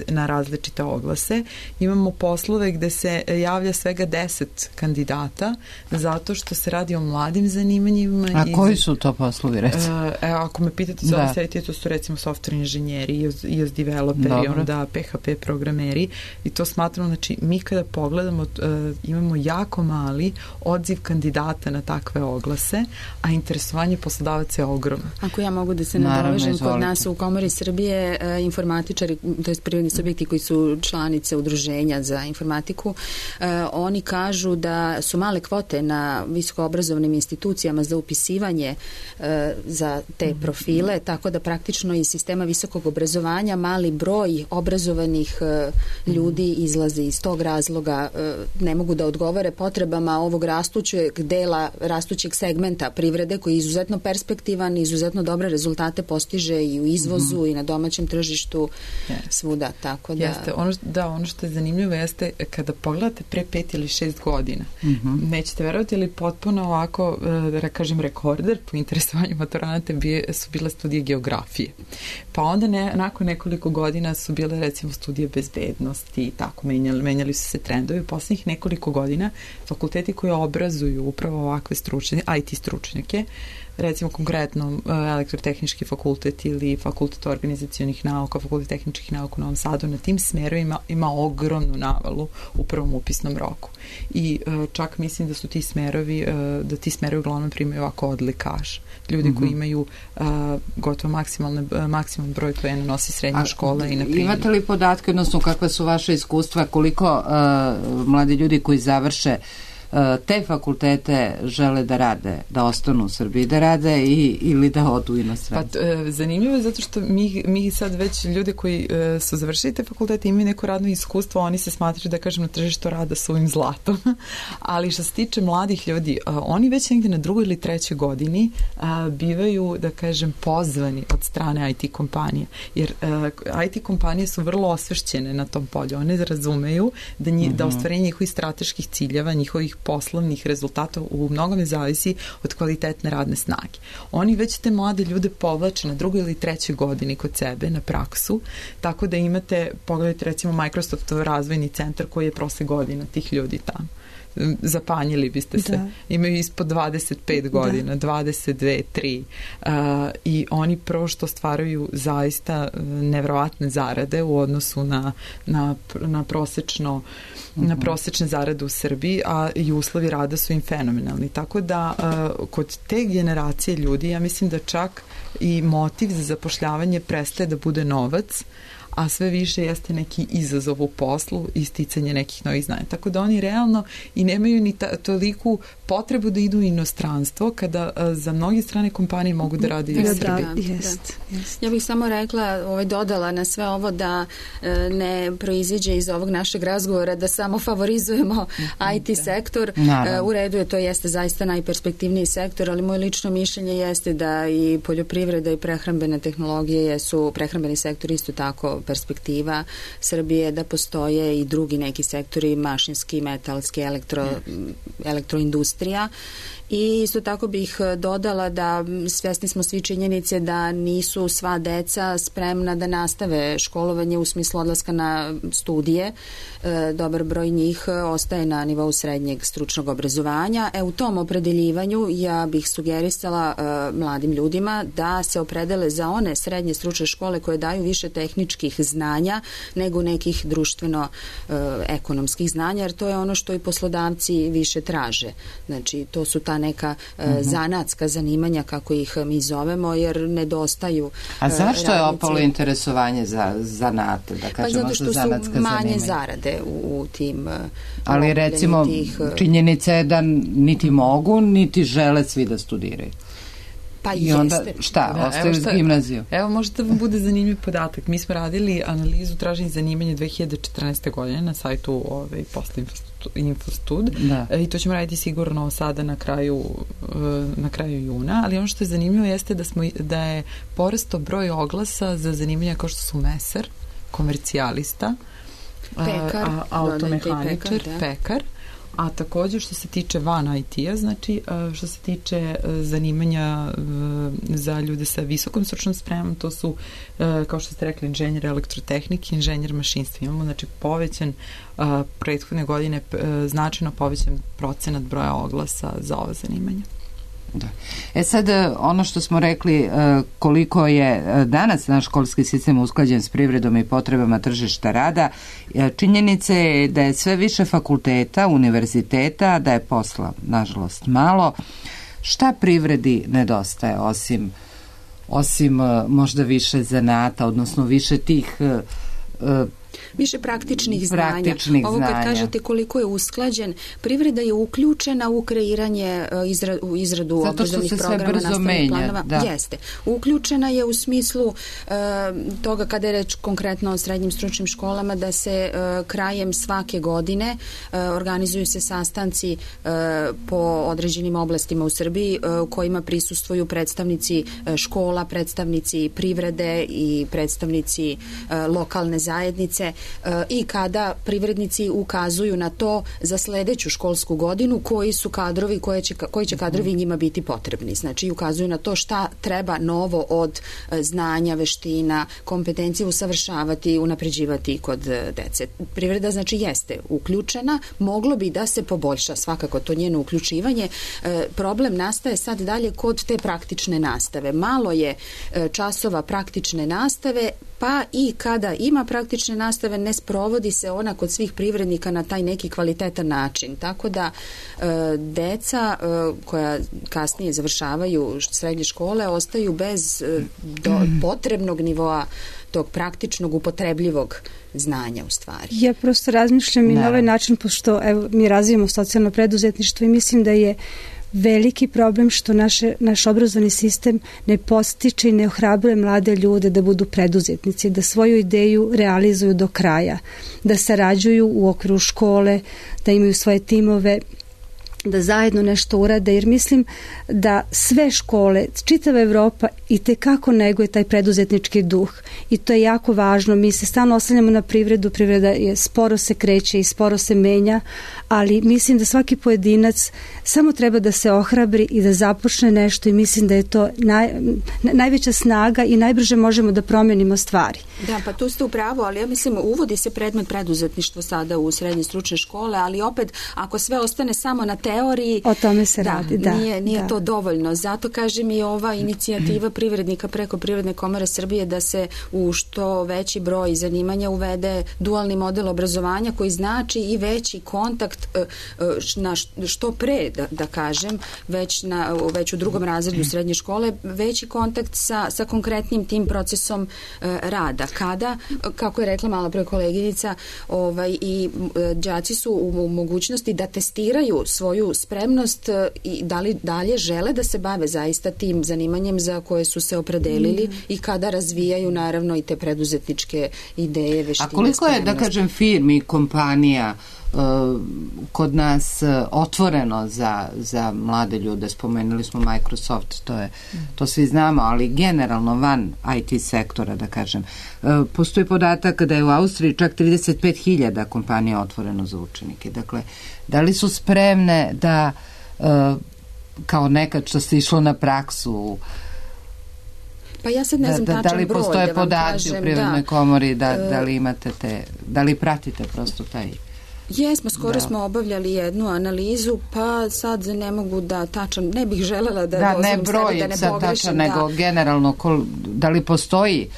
na različite oglase, imamo poslove gde se javlja svega 10 kandidata zato što se radi o mladim zanimanjima. A koji su to poslovi, recimo? Ako me pitate za ovaj sajt, to su recimo software inženjeri, iOS developeri, onda PHP programeri, i to smatramo, znači mi kada pogledamo imamo jako mali odziv kandidata na takve oglase, a interesovanje poslodavaca je ogromno. Ako ja mogu da se nadovežem, kod nas u Komori Srbije informatičari, to je privredni subjekti koji su članice udruženja za informatiku, oni kažu da su male kvote na visokoobrazovnim institucijama za upisivanje za te profile, tako da praktično iz sistema visokog obrazovanja mali broj obrazovanih ljudi izlaze iz tog razloga, ne mogu da odgovore potrebama ovog rastućeg segmenta privrede koji je izuzetno perspektivan, izuzetno dobre rezultate postiže i u izvozu i na domaćem tržištu svuda, tako da... Jeste, ono što je zanimljivo jeste kada pogledate pre 5 ili 6 godina, nećete verovati, ali potpuno ovako, da kažem, rekorder po interesovanju maturanata su bile studije geografije. Pa onda nakon nekoliko godina su bile recimo studije bezbednosti i tako, menjali su se trendovi. U poslednjih nekoliko godina fakulteti koji obrazuju upravo ovakve IT stručnjake, recimo konkretno elektrotehnički fakultet ili fakultet organizacionih nauka, fakultet tehničkih nauka u Novom Sadu, na tim smerovima ima ogromnu navalu u prvom upisnom roku. I čak mislim da su ti smerovi uglavnom primaju ovako odlikaš. Ljudi koji imaju gotovo maksimalni broj poena nosi srednja škola i na primjer. Imate li podatke, odnosno kakva su vaše iskustva, koliko mladi ljudi koji završe te fakultete žele da rade, da ostanu u Srbiji da rade ili da odu inostranstvo? Pa zanimljivo je zato što mi sad već ljudi koji su završili te fakultete imaju neko radno iskustvo, oni se smatraju, da kažem, na tržištu rada suvim zlatom, ali što se tiče mladih ljudi, oni već negde na 2. ili 3. godini bivaju, da kažem, pozvani od strane IT kompanije, jer IT kompanije su vrlo osvešćene na tom polju, one razumeju da ostvarenje njihovih strateških ciljeva, njihovih poslovnih rezultata u mnogome zavisi od kvalitetne radne snage. Oni već te mlade ljude povlače na 2. ili 3. godini kod sebe na praksu, tako da imate, pogledajte recimo Microsoftov razvojni centar koji je prosek godina tih ljudi tamo. Zapanjili biste se. Imaju ispod 25 godina, 22, 3. I oni prvo što stvaraju zaista nevjerovatne zarade u odnosu na prosečne zarade u Srbiji, a i uslovi rada su im fenomenalni. Tako da kod te generacije ljudi ja mislim da čak i motiv za zapošljavanje prestaje da bude novac, a sve više jeste neki izazov u poslu i sticanje nekih novih znanja. Tako da oni realno i nemaju ni toliku potrebu da idu u inostranstvo kada za mnoge strane kompanije mogu da rade i u Srbiji. Ja bih samo rekla, dodala na sve ovo da ne proiziđe iz ovog našeg razgovora da samo favorizujemo IT sektor. U redu je, to jeste zaista najperspektivniji sektor, ali moje lično mišljenje jeste da i poljoprivreda i prehrambene tehnologije prehrambeni sektor isto tako perspektiva Srbije, da postoje i drugi neki sektori, mašinski, metalski, elektroindustrija. I isto tako bih dodala da svjesni smo svi činjenice da nisu sva deca spremna da nastave školovanje u smislu odlaska na studije. Dobar broj njih ostaje na nivou srednjeg stručnog obrazovanja. U tom opredeljivanju ja bih sugerisala mladim ljudima da se opredele za one srednje stručne škole koje daju više tehničkih znanja nego nekih društveno-ekonomskih znanja, jer to je ono što i poslodavci više traže. Znači, to su ta neka zanatska zanimanja, kako ih mi zovemo, jer nedostaju A zašto je opalo interesovanje za zanate, da kažemo, zato što su manje zarade u tim ali recimo činjenica je da niti mogu, niti žele svi da studiraju. Pa i onda šta, ostaju iz gimnaziju? Evo, možda vam bude zanimljiv podatak. Mi smo radili analizu traženja zanimanja 2014. godine na sajtu posle Infostud i to ćemo raditi sigurno sada na kraju juna, ali ono što je zanimljivo jeste da je porastao broj oglasa za zanimanja kao što su mesar, komercijalista, automehaničar, pekar, a također što se tiče van IT-a, znači što se tiče zanimanja za ljude sa visokom stručnom spremom, to su, kao što ste rekli, inženjer elektrotehnike, inženjer mašinstva. Imamo, znači, povećan prethodne godine, značajno povećan procenat broja oglasa za ova zanimanja. Da. Sad, ono što smo rekli, koliko je danas naš školski sistem usklađen s privredom i potrebama tržišta rada, činjenica je da je sve više fakulteta, univerziteta, da je posla, nažalost, malo. Šta privredi nedostaje, osim možda više zanata, odnosno više tih više praktičnih znanja. Ovo kad kažete koliko je usklađen, privreda je uključena u kreiranje, u izradu obrazovnih programa, nastavnih planova. Jeste. Uključena je u smislu toga kada je reč konkretno o srednjim stručnim školama, da se krajem svake godine organizuju se sastanci po određenim oblastima u Srbiji u kojima prisustvuju predstavnici škola, predstavnici privrede i predstavnici lokalne zajednice i kada privrednici ukazuju na to za sledeću školsku godinu koji su kadrovi, koji će kadrovi njima biti potrebni. Znači, ukazuju na to šta treba novo od znanja, veština, kompetencije usavršavati, unapređivati kod dece. Privreda, znači, jeste uključena, moglo bi da se poboljša svakako to njeno uključivanje. Problem nastaje sad dalje kod te praktične nastave. Malo je časova praktične nastave, pa i kada ima praktične nastave ne sprovodi se ona kod svih privrednika na taj neki kvalitetan način. Tako da deca koja kasnije završavaju srednje škole ostaju bez potrebnog nivoa tog praktičnog, upotrebljivog znanja u stvari. Ja prosto razmišljam i na ovaj način, pošto mi razvijamo socijalno preduzetništvo i mislim da je veliki problem što naš obrazovni sistem ne podstiče i ne ohrabruje mlade ljude da budu preduzetnici, da svoju ideju realizuju do kraja, da sarađuju u okviru škole, da imaju svoje timove, da zajedno nešto urade, jer mislim da sve škole, čitava Evropa itekako neguje taj preduzetnički duh i to je jako važno. Mi se stalno oslanjamo na privredu, privreda je sporo se kreće i sporo se menja, ali mislim da svaki pojedinac samo treba da se ohrabri i da započne nešto i mislim da je to najveća snaga i najbrže možemo da promenimo stvari. Da, pa tu ste u pravu, ali ja mislim uvodi se predmet preduzetništvo sada u srednje stručne škole, ali opet ako sve ostane samo na teoriji teoriji. O tome se radi, da. Nije to dovoljno. Zato kažem i ova inicijativa privrednika preko Privredne komore Srbije da se u što veći broj zanimanja uvede dualni model obrazovanja koji znači i veći kontakt na što pre, da kažem, već u drugom razredu srednje škole, veći kontakt sa konkretnim tim procesom rada. Kada, kako je rekla malo pre koleginica, i đaci su u mogućnosti da testiraju svoju spremnost i da li dalje žele da se bave zaista tim zanimanjem za koje su se opredelili i kada razvijaju naravno i te preduzetničke ideje, veštine. A koliko je, da kažem, firmi i kompanija kod nas otvoreno za mlade ljude? Spomenuli smo Microsoft, to svi znamo, ali generalno van IT sektora, da kažem. Postoji podatak da je u Austriji čak 35.000 kompanija otvoreno za učenike. Dakle, da li su spremne da kao nekad što se išlo na praksu, pa ja sad ne znam tačan broj, da li postoje podaci u Privrednoj komori, da li imate da li pratite prosto taj... Jesmo, skoro smo obavljali jednu analizu, pa sad ne mogu da tačan, ne bih želela da dozvolim sebi da ne pogrešim. Tačan, nego generalno, da li postoji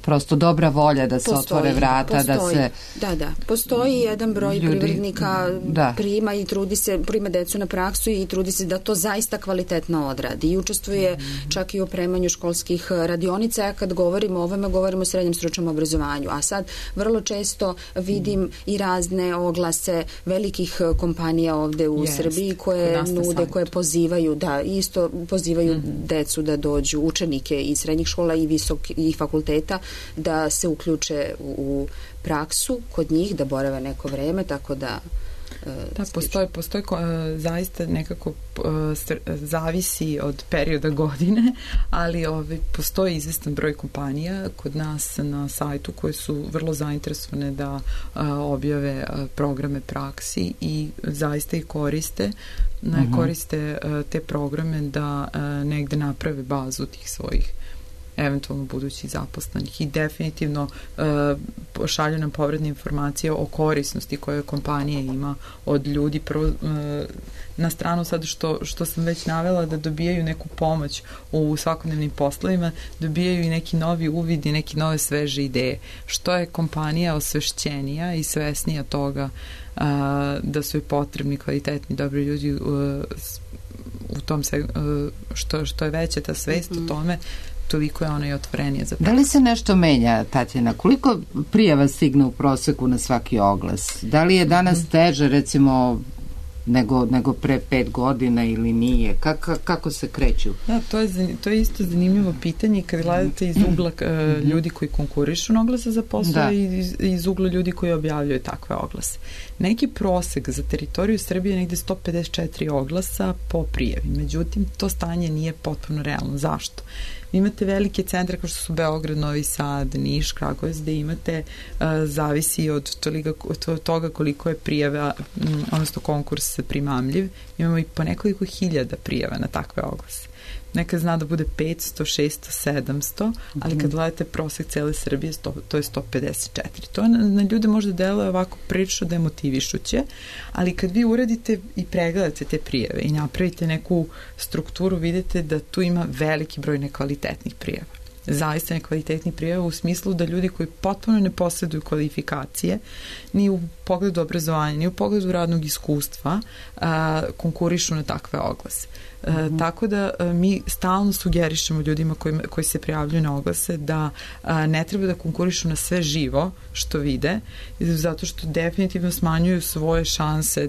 prosto dobra volja da se otvore vrata, da se... Da, postoji jedan broj privrednika prima i prima decu na praksu i trudi se da to zaista kvalitetno odradi i učestvuje čak i u opremanju školskih radionica. Ja kad govorimo o ovome, govorimo o srednjem stručnom obrazovanju, a sad vrlo često vidim i razne oglase velikih kompanija ovde u Srbiji koje nude, koje pozivaju, isto pozivaju decu da dođu, učenike iz srednjih škola i fakulteta, da se uključe u praksu kod njih, da borave neko vreme, tako da... Da, postoji zaista nekako zavisi od perioda godine, ali postoji izvestan broj kompanija kod nas na sajtu koje su vrlo zainteresovane da objave programe praksi i zaista ih koriste te programe da negde naprave bazu tih svojih eventualno budućih zaposlenih i definitivno šalju nam povratne informacije o korisnosti koje kompanija ima od ljudi. Prvo, na stranu sad što sam već navela da dobijaju neku pomoć u svakodnevnim poslovima, dobijaju i neki novi uvid i neke nove sveže ideje. Što je kompanija osvešćenija i svesnija toga da su joj potrebni kvalitetni, dobri ljudi u tom što je veća ta svest o tome, toliko je ona i otvorenija za praksu. Da li se nešto menja, Tatjana? Koliko prijava stigne u proseku na svaki oglas? Da li je danas teže, recimo, nego pre 5 godina ili nije? Kako se kreću? Da, to je isto zanimljivo pitanje kad gledate iz ugla ljudi koji konkurišu na oglase za posao i iz ugla ljudi koji objavljaju takve oglase. Neki prosek za teritoriju Srbije je negde 154 oglasa po prijavi. Međutim, to stanje nije potpuno realno. Zašto? Imate velike centre kao što su Beograd, Novi Sad, Niš, Kragujevac, gde imate, zavisi od toga koliko je prijava, odnosno konkurs primamljiv. Imamo i po nekoliko hiljada prijava na takve oglase. Nekad zna da bude 500, 600, 700, ali kad gledate prosek cele Srbije, to je 154. To na ljude možda deluje ovako prilično demotivišuće, ali kad vi uradite i pregledate te prijave i napravite neku strukturu, vidite da tu ima veliki broj nekvalitetnih prijava. Zaista nekvalitetnih prijava u smislu da ljudi koji potpuno ne posjeduju kvalifikacije ni u pogledu obrazovanja, ni u pogledu radnog iskustva konkurišu na takve oglase. Tako da mi stalno sugerišemo ljudima koji se prijavljuju na oglase da ne treba da konkurišu na sve živo što vide, zato što definitivno smanjuju svoje šanse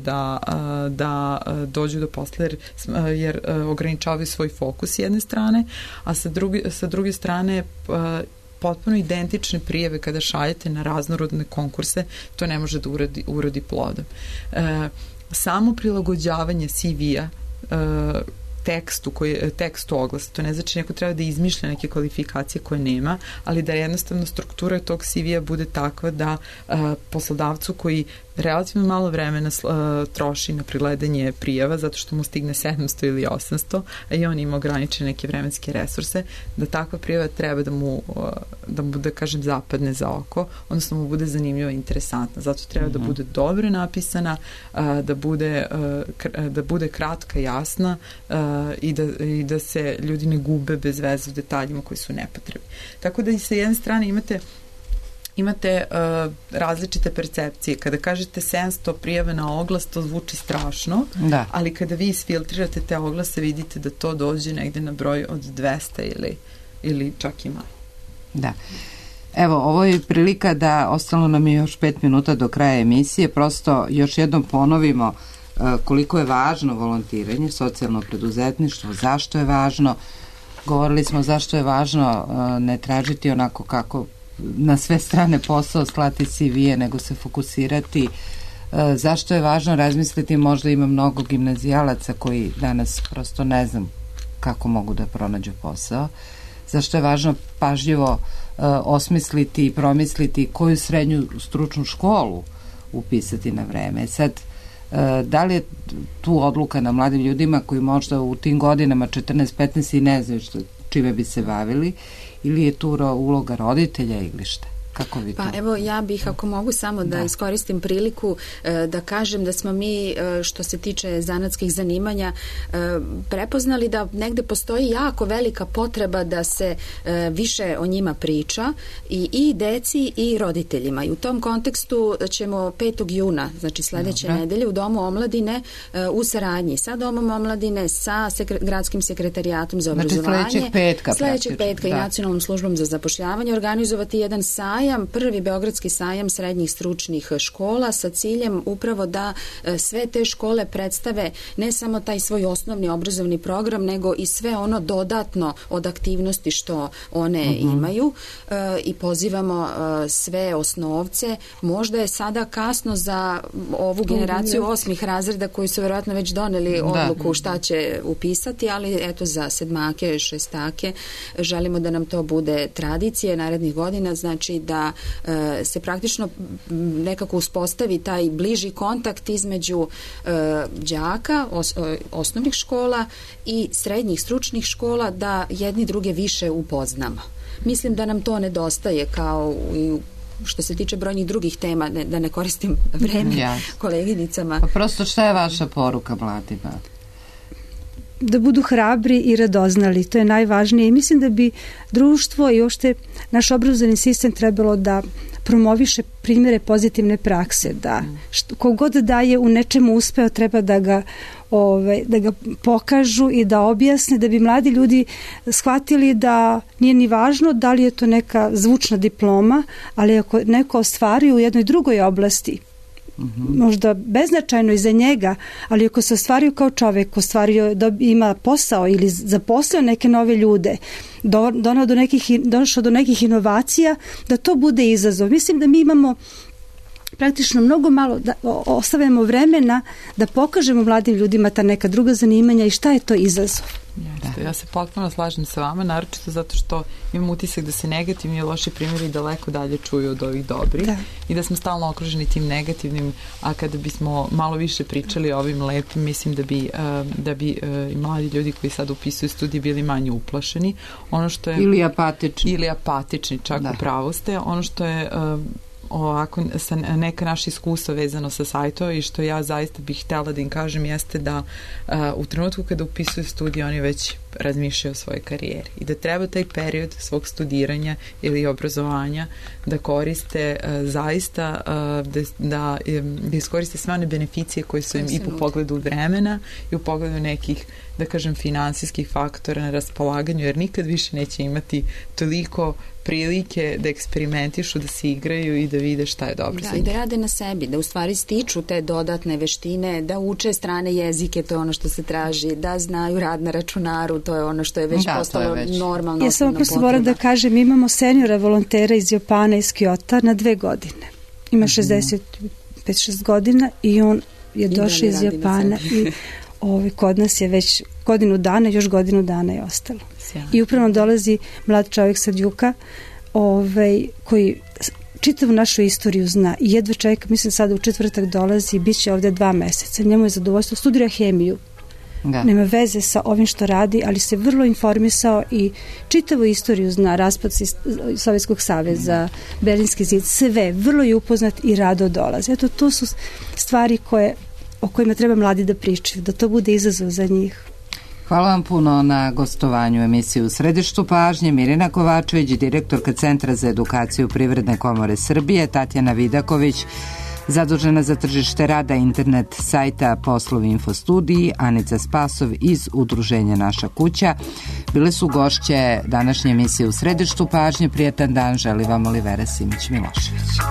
da dođu do posla jer ograničavaju svoj fokus s jedne strane, a sa druge strane potpuno identične prijave kada šaljete na raznorodne konkurse, to ne može da urodi plodom. Samo prilagođavanje CV-a tekstu oglasa. To ne znači neko treba da izmišlja neke kvalifikacije koje nema, ali da jednostavno struktura tog CV-a bude takva da poslodavcu koji relativno malo vremena troši na pregledanje prijava zato što mu stigne 700 ili 800, a i on ima ograničene neke vremenske resurse, da takva prijava treba da mu da kažem zapadne za oko, odnosno mu bude zanimljiva i interesantna. Zato treba da bude dobro napisana, da bude kratka, jasna i da se ljudi ne gube bez veze u detaljima koji su nepotrebni. Tako da i sa jedne strane imate različite percepcije. Kada kažete 700 prijave na oglas, to zvuči strašno, ali kada vi isfiltrirate te oglase, vidite da to dođe negde na broj od 200 ili čak i manje. Da. Evo, ovo je prilika da, ostalo nam je još 5 minuta do kraja emisije, prosto još jednom ponovimo koliko je važno volontiranje, socijalno preduzetništvo, zašto je važno. Govorili smo zašto je važno ne tražiti onako kako na sve strane posao, slati CV-e, nego se fokusirati. Zašto je važno razmisliti, možda ima mnogo gimnazijalaca koji danas prosto ne znam kako mogu da pronađu posao. Zašto je važno pažljivo osmisliti i promisliti koju srednju stručnu školu upisati na vreme. Sad, da li je tu odluka na mladim ljudima koji možda u tim godinama 14-15 i ne znaju čime bi se bavili, ili je tu uloga roditelja ili šta? Kako vi to? Pa evo, ja bih, ako mogu samo da iskoristim priliku da kažem da smo mi, što se tiče zanatskih zanimanja, prepoznali da negde postoji jako velika potreba da se više o njima priča i deci i roditeljima. I u tom kontekstu ćemo 5. juna, znači sledeće nedelje, u Domu omladine u saradnji sa Domom omladine, sa Gradskim sekretarijatom za obrazovanje, sledećeg petka i Nacionalnom službom za zapošljavanje organizovati jedan sajam, prvi beogradski sajam srednjih stručnih škola sa ciljem upravo da sve te škole predstave ne samo taj svoj osnovni obrazovni program, nego i sve ono dodatno od aktivnosti što one imaju i pozivamo sve osnovce. Možda je sada kasno za ovu generaciju 8. razreda koji su verovatno već doneli odluku šta će upisati, ali eto za sedmake, šestake želimo da nam to bude tradicija narednih godina, znači da se praktično nekako uspostavi taj bliži kontakt između đaka osnovnih škola i srednjih stručnih škola, da jedni druge više upoznamo. Mislim da nam to nedostaje kao i što se tiče brojnih drugih tema, da ne koristim vreme koleginicama. Pa prosto šta je vaša poruka mladima? Da budu hrabri i radoznali, to je najvažnije, i mislim da bi društvo i uopšte naš obrazovni sistem trebalo da promoviše primjere pozitivne prakse, da kogod da je u nečemu uspeo treba da ga pokažu i da objasne, da bi mladi ljudi shvatili da nije ni važno da li je to neka zvučna diploma, ali ako neko ostvari u jednoj drugoj oblasti, možda beznačajno i za njega, ali ako se ostvario kao čovek, ima posao ili zaposlio neke nove ljude, došao do nekih inovacija, da to bude izazov. Mislim da mi imamo praktično mnogo malo, da ostavljamo vremena da pokažemo mladim ljudima ta neka druga zanimanja i šta je to izazov. Ja se potpuno slažem sa vama, naročito zato što imam utisak da se negativni i loši primjeri daleko dalje čuju od ovih dobrih i da smo stalno okruženi tim negativnim, a kada bismo malo više pričali o ovim lepim, mislim da bi i mladi ljudi koji sad upisuju studije bili manje uplašeni. Ono što je, ili apatični, čak u pravu ste. Ono što je ovako sa neka naša iskustva vezano sa sajtova i što ja zaista bih htjela da im kažem jeste da u trenutku kada upisuju studije oni već razmišljaju o svojoj karijeri i da treba taj period svog studiranja ili obrazovanja da koriste zaista da iskoriste sve one beneficije koje su im i po pogledu vremena i u pogledu nekih, da kažem, finansijskih faktora na raspolaganju, jer nikad više neće imati toliko prilike da eksperimentišu, da se igraju i da vide šta je dobro za njih. I da rade na sebi, da u stvari stiču te dodatne veštine, da uče strane jezike, to je ono što se traži, da znaju rad na računaru, to je ono što je već postalo normalno. Ja samo prosto moram da kažem, imamo seniora volontera iz Japana, iz Kyota na 2 godine. Ima 65-6 godina i on je došao iz Japana i kod nas je već godinu dana, još godinu dana je ostalo. I upravo dolazi mlad čovjek sa Djuka koji čitavu našu istoriju zna i jedva čeka, mislim sada u četvrtak dolazi i bit će ovde 2 meseca. Njemu je zadovoljstvo, studira hemiju. Da. Nema veze sa ovim što radi, ali se vrlo informisao i čitavu istoriju zna, raspad Sovjetskog saveza, Berlinski zid, sve, vrlo je upoznat i rado dolazi. Eto, to su stvari o kojima treba mladi da pričaju, da to bude izazov za njih. Hvala vam puno na gostovanju u emisiji U središtu pažnje. Mirina Kovačević, direktorka Centra za edukaciju Privredne komore Srbije, Tatjana Vidaković, zadužena za tržište rada, internet sajta Poslovi Infostudiji, Anica Spasov iz Udruženja Naša kuća. Bile su gošće današnje emisije U središtu pažnje. Prijetan dan želi vam Olivera Simić-Milošević.